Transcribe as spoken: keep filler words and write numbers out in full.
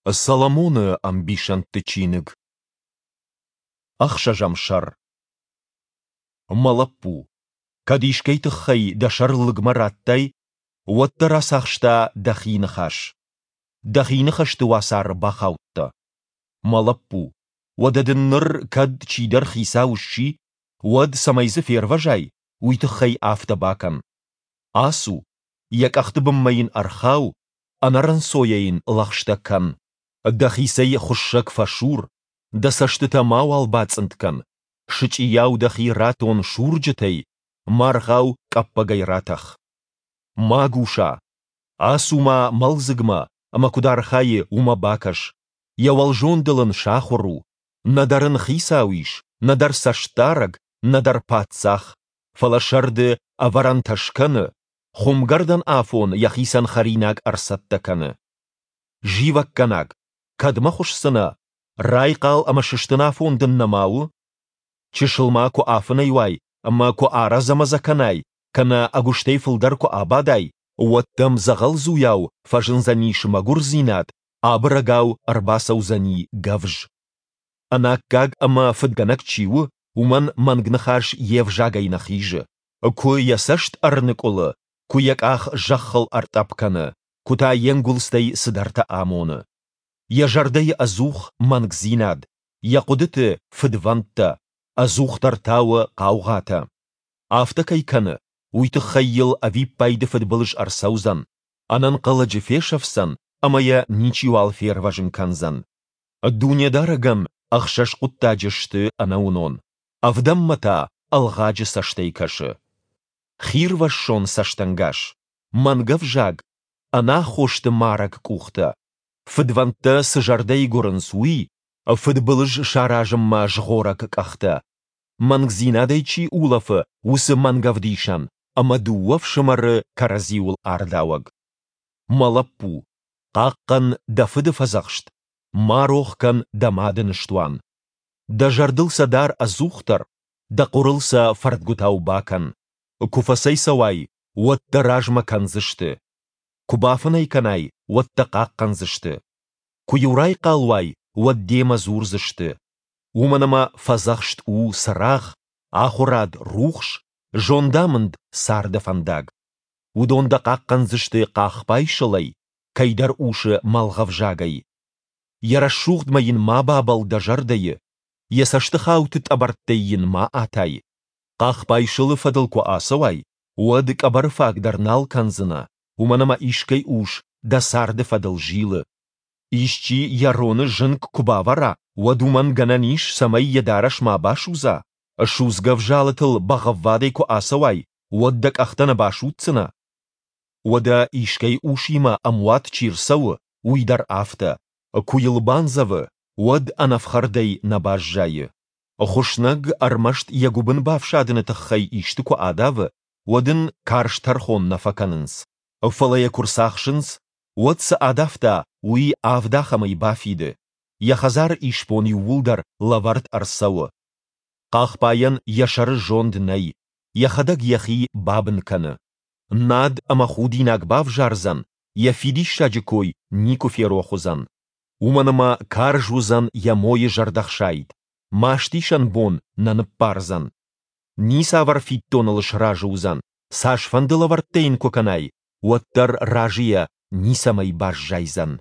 Соломоны ӕмбисӕндты чиныг. Ӕхсӕзӕм сӕр. Мӕ лӕппу, кӕд искӕй тыххӕй дӕ сӕр лыгмӕ радтай, уӕд дӕ рацахста дӕхи ныхас. Дӕхи ныхӕсты уацары бахаудтӕ. Мӕ лӕппу, уӕдӕ дын ныр кӕд чидӕр хицау сси, уӕд, цӕмӕй дзы фервӕзай, уый тыххӕй афтӕ бакӕн. Ацу, йӕ къӕхты бынмӕ йын ӕрхау, ӕнӕрынцойӕ йын лӕгъстӕ кӕн. Дӕхицӕй хуыссӕг фӕсур, дӕ цӕстытӕ мауал бацъынд кӕн, сычъийау дӕхи ратон сурджытӕй, маргъау къӕппӕгӕй ратӕх. Магуса, ацу-ма мӕлдзыгмӕ ӕмӕ куыд архайы, уымӕ бакӕс, йӕ уӕлзондыл ын сахуыр у, нӕдӕр ын хицау ис, нӕдӕр цӕстдарӕг, нӕдӕр паддзах, фӕлӕ сӕрды ӕвӕрӕнтӕ скӕны, хуымгӕрдӕн афон йӕхицӕн хӕринаг ӕрцӕттӕ кӕны. Зивӕггӕнаг, кӕдмӕ хуысдзынӕ, райхъал ӕмӕ сыстын афон дын нӕма у? Чысыл ма куы афынӕй уай ӕмӕ куы арӕдзӕ-мӕдзӕ кӕнай, кӕнӕ ӕгуыстӕй фылдӕр куы абадай, уӕд дӕм дзӕгъӕлдзуйау фӕзындзӕнис мӕгуырдзинад, абырӕгау ӕрбацӕудзӕни гӕвз. Ӕнаккаг ӕмӕ фыдгӕнӕг чи у, уымӕн мӕнг ныхас йе взагӕй нӕ хизы. Куы йӕ цӕст ӕрныкъуылы, куы йӕ къах зӕххыл ӕртъӕпп кӕны, куы та йе нгуылдзтӕй цыдӕртӕ амоны. Йӕ зӕрдӕйы ӕдзух мӕнгдзинад, йӕ хъуыдыты фыдвӕндтӕ, ӕдзухдӕр тауы хъаугъатӕ. Афтӕ кӕй кӕны, уый тыххӕй йыл ӕвиппайды фыдбылыз ӕрцӕудзӕн, ӕнӕнхъӕлӕджы фесӕфдзӕн ӕмӕ йӕ ничиуал фервӕзын кӕндзӕн. Дунедарӕгӕн ӕхсӕз хъуыддаджы сты ӕнӕуынон, ӕвдӕммӕ та ӕлгъаджы цӕстӕй кӕсы. Хирвӕссон цӕстӕнгас, мӕнгӕвзаг, ӕнаххосты марӕг къухтӕ, фыдвӕндтӕ цы зӕрдӕйы гуырынц, уый, фыдбылыз саразынмӕ згъорӕг къӕхтӕ, мӕнгдзинадӕй чи улӕфы, уыцы мӕнгӕвдисӕн ӕмӕ дыууӕ фсымӕры кӕрӕдзиуыл ардауӕг. Мӕ лӕппу, хъахъхъӕн дӕ фыды фӕдзӕхст, ма рох кӕн дӕ мады ныстуан. Дӕ зӕрдыл сӕ дар ӕдзухдӕр, дӕ хъуырыл сӕ фӕрдгуытау бакӕн. Куы фӕцӕйцӕуай, уӕд дӕ размӕ кӕндзысты. Куы бафынӕй кӕнай, уӕд дӕ хъахъхъӕндзысты. Куы-иу райхъал уай, уӕд демӕ дзурдзысты. Уымӕн ӕмӕ фӕдзӕхст у цырагъ, ахуырад рухс, зондамынд царды фӕндаг. Уыдон дӕ хъахъхъӕндзысты хъахбай сылӕй, кӕйдӕр усы мӕлгъӕвзагӕй. Йӕ рӕсугъдмӕ йын ма бабӕлл дӕ зӕрдӕйы, йӕ цӕстыхауты тъӕбӕрттӕй йын ма атай. Хъахбай сылы фӕдыл куы ацӕуай, уӕд къӕбӕры фаг дӕр нал кӕндзынӕ, уымӕн ӕмӕ искӕй ус дӕ царды фӕдыл зилы. Исчи йӕ роны зынг куы бавӕра, уӕд уымӕн гӕнӕн ис, цӕмӕй йӕ дарӕс ма басудза? Судзгӕ взалытыл бӕгъӕввадӕй куы ацӕуай, уӕд дӕ къӕхтӕ нӕ басудздзынӕ? Уӕдӕ искӕй усимӕ ӕмуат чи рцӕуы, уый дӕр афтӕ, куы йыл бандзӕвы, уӕд ӕнӕфхӕрдӕй нӕ баззайы. Хуыснӕг ӕрмӕст йӕ гуыбын бафсадыны тыххӕй исты куы адавы, уӕд ын карз тӕрхон нӕ фӕкӕнынц. Фӕлӕ йӕ куы рцахсынц, уӕд цы адавта, уый авд ахӕмӕй бафиды, йӕ хӕдзары исбон иууылдӕр лӕвӕрд ӕрцӕуы. Хъахбайӕн йӕ сӕры зонд нӕй, йӕхӕдӕг йӕхи бабын кӕны. Над ӕмӕ худинаг бавзардзӕн, йӕ фидиссаджы кой никуы ферох уыдзӕн. Уымӕн ӕмӕ карз уыдзӕн йӕ мойы зӕрдӕхсайд, мастисӕн бон нӕ ныббардзӕн. Ницавӕр фиддоныл сразы уыдзӕн, цасфӕнды лӕвӕрттӕ йын куы кӕнай, уӕддӕр разыйӕ ницӕмӕй баззайдзӕн.